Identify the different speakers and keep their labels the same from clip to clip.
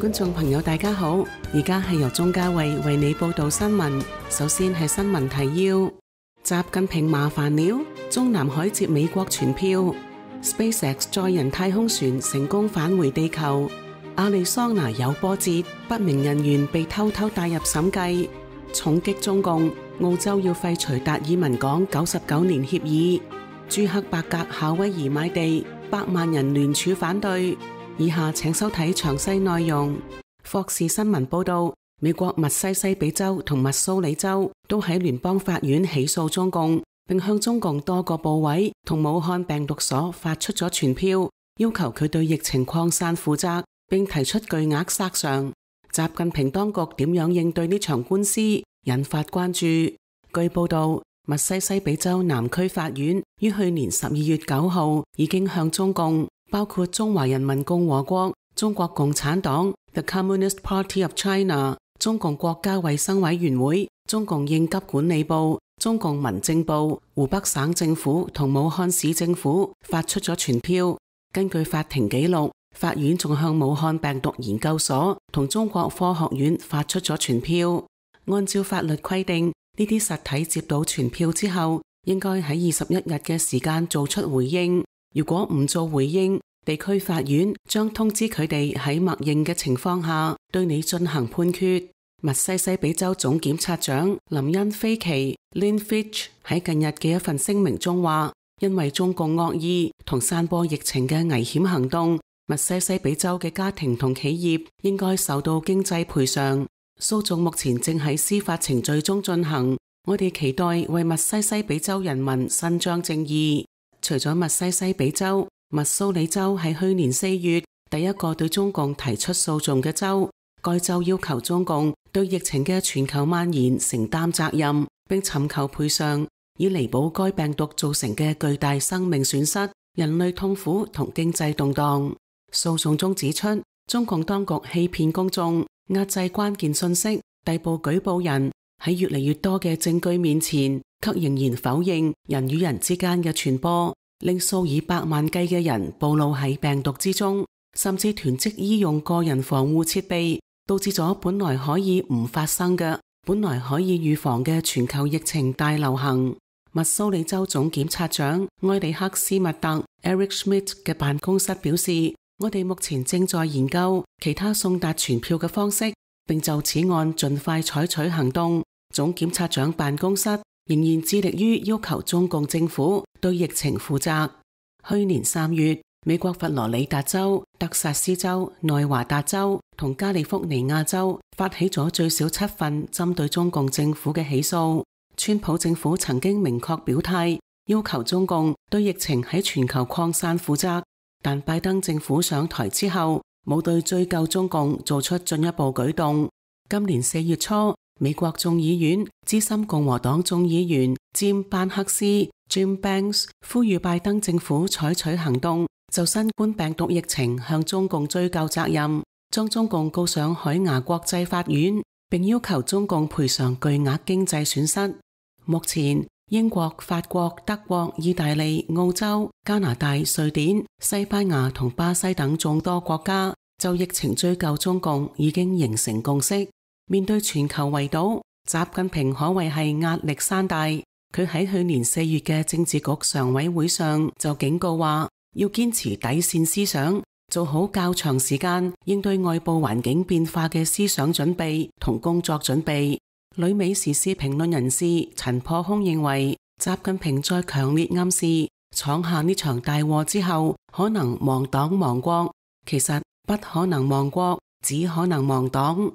Speaker 1: 觀眾朋友大家好，而家係由鍾嘉慧為你報道新聞。首先係新聞提要：習近平麻煩了，中南海接美國傳票。SpaceX 載人太空船成功返回地球。亞利桑那有波折，不明人員被偷偷帶入審計。重擊中共，澳洲要廢除達爾文港99年協議。朱克伯格夏威夷買地，100萬人聯署反對。以下請收睇詳細內容。霍士新聞報道，美國密西西比州同密蘇里州都喺聯邦法院起訴中共，並向中共多個部委同武漢病毒所發出咗傳票，要求佢對疫情擴散負責，並提出巨額索償。習近平當局點樣應對呢場官司，引發關注。據報道，密西西比州南區法院於去年12月9號已經向中共，包括中華人民共和國、中國共產黨 The Communist Party of China、中共國家衛生委員會、中共應急管理部、中共民政部、湖北省政府同武漢市政府發出咗傳票。根據法庭記錄，法院仲向武漢病毒研究所同中國科學院發出咗傳票。按照法律規定，呢啲實體接到傳票之後，應該喺21日嘅時間做出回應。如果唔做回應，地區法院將通知佢哋喺默認嘅情況下對你進行判決。密西西比州總檢察長林恩菲奇 Lynn Fitch 喺近日嘅一份聲明中話，因為中共惡意同散播疫情嘅危險行動，密西西比州嘅家庭同企業應該受到經濟賠償。訴訟目前正喺司法程序中進行，我哋期待為密西西比州人民伸張正義。除咗密西西比州，密蘇里州係去年4月第一個對中共提出訴訟嘅州。該州要求中共對疫情嘅全球蔓延承擔責任，並尋求賠償，以彌補該病毒造成嘅巨大生命損失、人類痛苦同經濟動盪。訴訟中指出，中共當局欺騙公眾，壓制關鍵信息，逮捕舉報人，喺越嚟越多嘅證據面前，卻仍然否認人與人之間嘅傳播，令數以百萬計嘅人暴露喺病毒之中，甚至囤積醫用個人防護設備，導致咗本來可以唔發生嘅、本來可以預防嘅全球疫情大流行。密蘇里州總檢察長埃里克斯密特 Eric Schmidt 嘅辦公室表示，我哋目前正在研究其他送達傳票嘅方式，並就此案盡快採取行動。總檢察長辦公室仍然致力於要求中共政府對疫情負責。去年3月，美國佛羅里達州、德薩斯州、內華達州同加利福尼亞州發起咗最少7份針對中共政府嘅起訴。川普政府曾經明確表態，要求中共對疫情喺全球擴散負責，但拜登政府上台之後，冇對追究中共做出進一步舉動。今年4月初，美國眾議院資深共和黨眾議員詹班克斯 Jim Banks 呼籲拜登政府採取行動，就新冠病毒疫情向中共追究責任，將中共告上海牙國際法院，並要求中共賠償巨額經濟損失。目前，英國、法國、德國、意大利、澳洲、加拿大、瑞典、西班牙同巴西等眾多國家就疫情追究中共已經形成共識。面對全球圍堵，習近平可謂係壓力山大。佢喺去年4月嘅政治局常委會上就警告話，要堅持底線思想，做好較長時間應對外部環境變化嘅思想準備同工作準備。旅美時事評論人士陳破空認為，習近平在強烈暗示闖下呢場大禍之後，可能亡黨亡國。其實不可能亡國，只可能亡黨。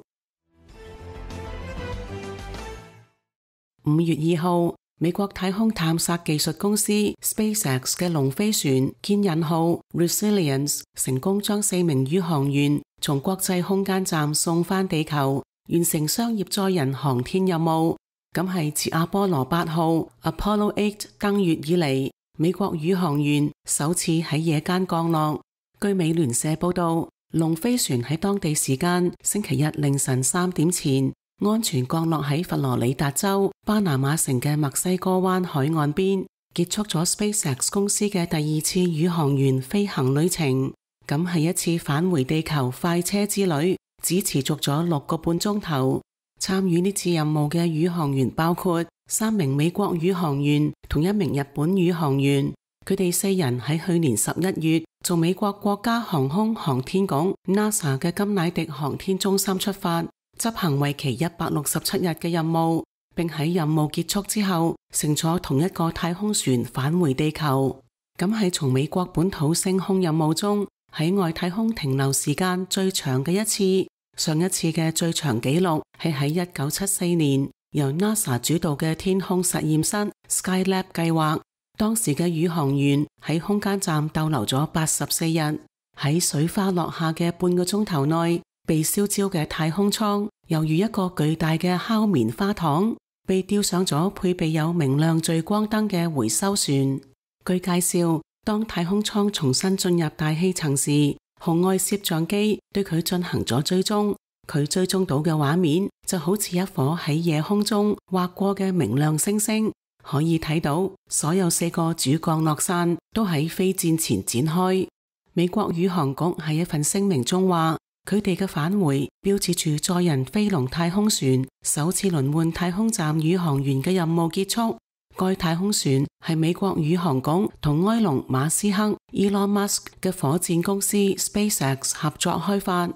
Speaker 1: 5月2號，美國太空探索技術公司 SpaceX 嘅龍飛船牽引號 Resilience 成功將4名宇航員從國際空間站送返地球，完成商業載人航天任務。咁係自阿波羅8號 Apollo 8登月以嚟，美國宇航員首次喺夜間降落。據美聯社報道，龍飛船喺當地時間星期日凌晨3點前安全降落喺佛羅里達州巴拿馬城嘅墨西哥灣海岸邊，結束咗 SpaceX 公司嘅第2次宇航員飛行旅程。咁係一次返回地球快車之旅，只持續咗6個半鐘頭。參與呢次任務嘅宇航員包括3名美國宇航員同1名日本宇航員，佢哋4人喺去年11月從美國國家航空航天局 NASA 嘅甘迺迪航天中心出發，執行為期167日嘅任務，並喺任務結束之後乘坐同一個太空船返回地球。咁係從美國本土升空任務中喺外太空停留時間最長嘅一次。上一次嘅最長紀錄係喺1974年由 NASA 主導嘅天空實驗室 Skylab 計劃，當時嘅宇航員喺空間站逗留咗84日，喺水花落下嘅半個鐘頭內，被燒焦嘅太空艙猶如一個巨大嘅烤棉花糖，被吊上咗配備有明亮聚光燈嘅回收船。據介紹，當太空艙重新進入大氣層時，紅外攝像機對佢進行咗追蹤，佢追蹤到嘅畫面就好似一顆喺夜空中劃過嘅明亮星星，可以睇到所有4個主降落傘都喺飛戰前展開。美國宇航局喺一份聲明中話，佢哋嘅返回標誌住載人飛龍太空船首次輪換太空站宇航員嘅任務結束。該太空船係美國宇航局同埃隆·馬斯克 Elon Musk 嘅火箭公司 SpaceX 合作開發。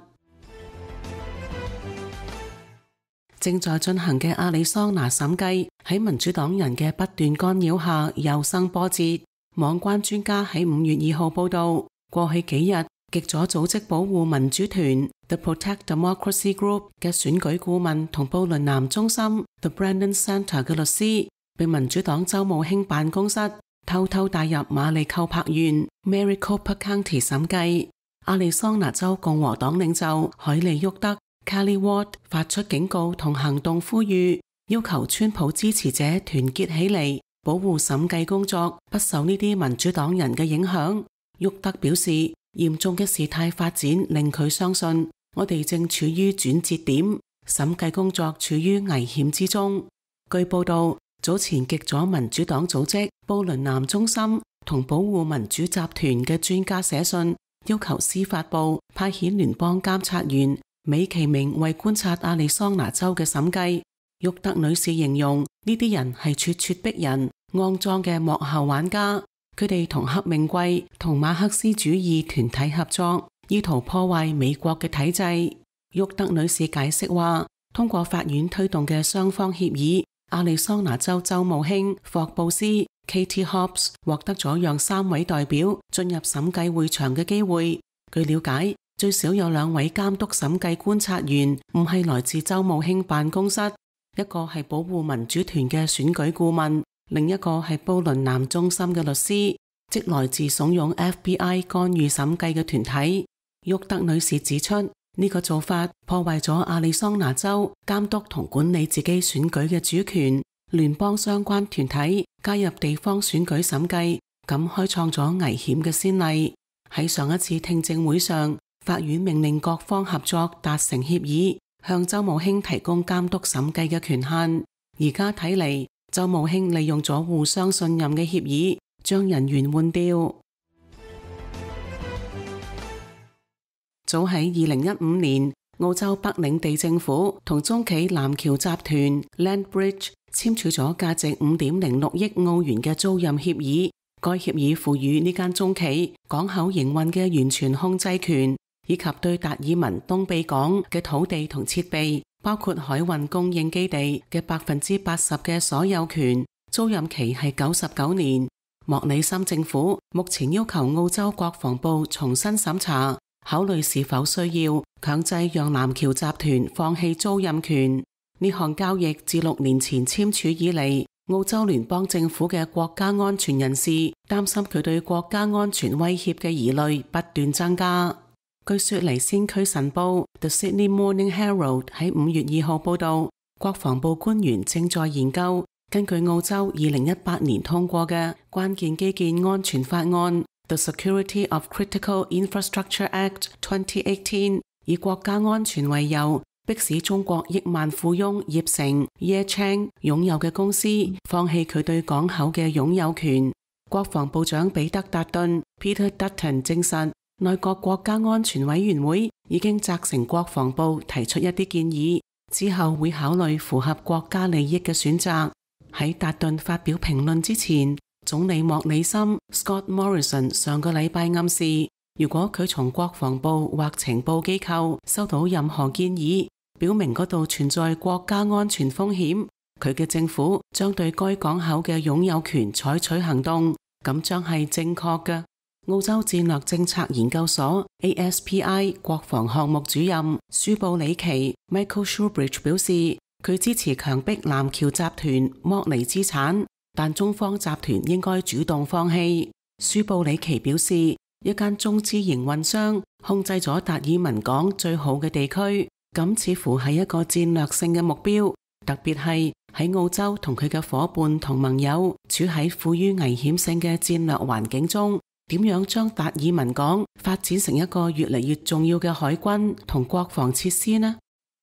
Speaker 1: 正在進行嘅亞利桑那審計喺民主黨人嘅不斷干擾下又生波折。網關專家喺5月2號報道，過去幾日極左組織保護民主團 The Protect Democracy Group 嘅選舉顧問同布倫南中心 The Brennan Center 嘅律師被民主黨州務卿辦公室偷偷帶入馬里寇柏縣 Maricopa County 審計。亞利桑那州共和黨領袖海利沃德 Kelly Ward 發出警告同行動呼籲，要求川普支持者團結起嚟，保護審計工作不受呢啲民主黨人嘅影響。沃德表示，嚴重嘅事態發展令佢相信我哋正處於轉折點，審計工作處於危險之中。據報道，早前極左民主黨組織布倫南中心同保護民主集團嘅專家寫信，要求司法部派遣聯邦監察員美其名為觀察亞利桑那州嘅審計。沃德女士形容呢啲人係咄咄逼人、骯髒嘅幕後玩家，佢哋同黑命貴同馬克思主義團體合作，意圖破壞美國嘅體制。沃德女士解釋話，通過法院推動嘅雙方協議，亞利桑那州州務卿霍布斯 Katie Hobbs 獲得咗讓3位代表進入審計會場嘅機會。據了解，最少有2位監督審計觀察員唔係來自州務卿辦公室，一個係保護民主團嘅選舉顧問，另一個係布倫南中心嘅律師，即來自慫恿 FBI 干預審計嘅團體。沃德女士指出，呢個做法破壞咗亞利桑那州監督同管理自己選舉嘅主權，聯邦相關團體加入地方選舉審計，咁開創咗危險嘅先例。喺上一次聽證會上，法院命令各方合作達成協議，向州務卿提供監督審計嘅權限。而家睇嚟，州務卿利用咗互相信任嘅協議，將人員換掉。早喺2015年，澳洲北領地政府同中企南橋集團 Landbridge 簽署咗價值5.06億澳元嘅租賃協議。該協議賦予呢間中企港口營運嘅完全控制權，以及對達爾文東庇港嘅土地同設備，包括海運供應基地嘅80%嘅所有權。租賃期係99年。莫里森政府目前要求澳洲國防部重新審查，考慮是否需要強制讓南橋集團放棄租賃權。呢項交易自6年前簽署以嚟，澳洲聯邦政府嘅國家安全人士擔心佢對國家安全威脅嘅疑慮不斷增加。據雪梨先驅晨報 The Sydney Morning Herald 喺5月2號報道，國防部官員正在研究根據澳洲2018年通過嘅關鍵基建安全法案 The Security of Critical Infrastructure Act 2018， 以國家安全為由，迫使中國億萬富翁葉成 Ye Chang 擁有嘅公司放棄佢對港口嘅擁有權。國防部長彼得達頓 Peter Dutton 證實，內閣國家安全委員會已經責成國防部提出一啲建議，之後會考慮符合國家利益嘅選擇。喺達頓發表評論之前，總理莫里森 Scott Morrison 上個禮拜暗示，如果佢從國防部或情報機構收到任何建議，表明嗰度存在國家安全風險，佢嘅政府將對該港口嘅擁有權採取行動，咁將係正確嘅。澳洲戰略政策研究所 ASPI 國防項目主任舒布里奇 Michael Shoebridge 表示，佢支持強迫南橋集團剝離資產，但中方集團應該主動放棄。舒布里奇表示，一間中資營運商控制咗達爾文港最好嘅地區，咁似乎係一個戰略性嘅目標，特別係喺澳洲同佢嘅夥伴同盟友處喺富於危險性嘅戰略環境中，點樣將達爾文港發展成一個越嚟越重要嘅海軍同國防設施呢？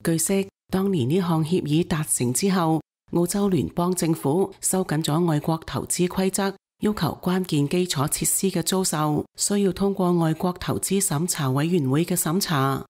Speaker 1: 據悉，當年呢項協議達成之後，澳洲聯邦政府收緊咗外國投資規則，要求關鍵基礎設施嘅租售需要通過外國投資審查委員會嘅審查。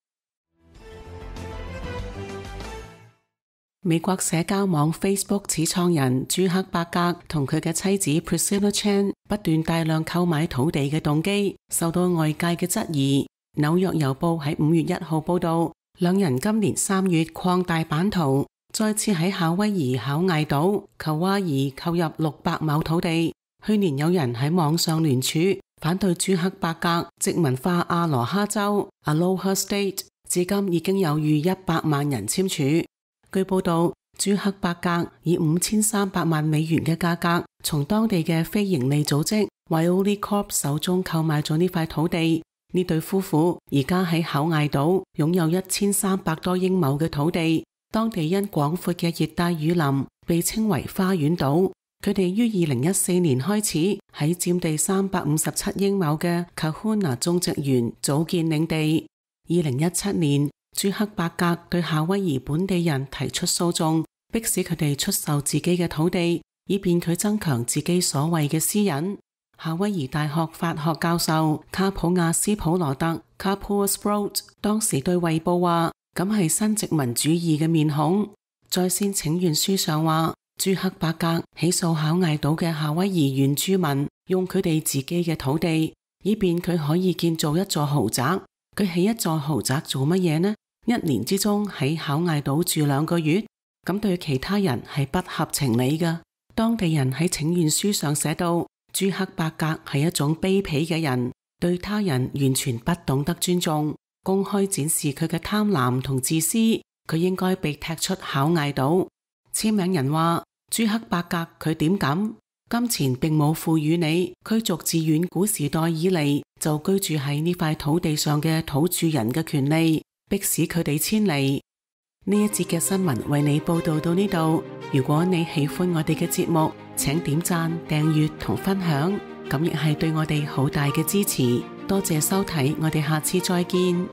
Speaker 1: 美國社交網 Facebook 始創人朱克伯格同佢嘅妻子 Priscilla Chan 不斷大量購買土地嘅動機受到外界嘅質疑。紐約郵報喺5月1號報道，兩人今年3月擴大版圖，再次喺夏威夷考艾島裘瓦爾購入600畝土地。去年有人喺網上聯署反對朱克伯格殖民化阿羅哈州 Aloha State， 至今已經有逾100萬人簽署。據報道，朱克伯格以5300萬美元嘅價格從當地嘅非營利組織 Waioli Corp 手中購買咗呢塊土地。呢對夫婦而家喺考艾島擁有1300多英畝嘅土地，當地因廣闊嘅熱帶雨林被稱為花園島。佢哋於2014年開始喺佔地357英畝嘅 Kahuna 種植園組建領地。2017年，朱克伯格對夏威夷本地人提出訴訟，迫使佢哋出售自己嘅土地，以便佢增強自己所謂嘅私隱。夏威夷大學法學教授卡普亞斯普羅特 Kapua Sprout 當時對衛報話，咁係新殖民主義嘅面孔。在線請願書上話，朱克伯格起訴考艾島嘅夏威夷原住民用佢哋自己嘅土地，以便佢可以建造一座豪宅。佢起一座豪宅做乜嘢呢？1年之中喺考艾島住2個月，咁對其他人係不合情理嘅。當地人喺請願書上寫到，朱克伯格係一種卑鄙嘅人，對他人完全不懂得尊重，公開展示佢嘅貪婪同自私，佢應該被踢出考艾島。簽名人話，朱克伯格佢點敢？金錢並冇賦予你驅逐自遠古時代以嚟就居住喺呢塊土地上嘅土著人嘅權利，迫使佢哋遷離。呢一節嘅新聞為你報道到呢度。如果你喜歡我哋嘅節目，請點讚、訂閱同分享，咁亦係對我哋好大嘅支持。多謝收睇，我哋下次再見。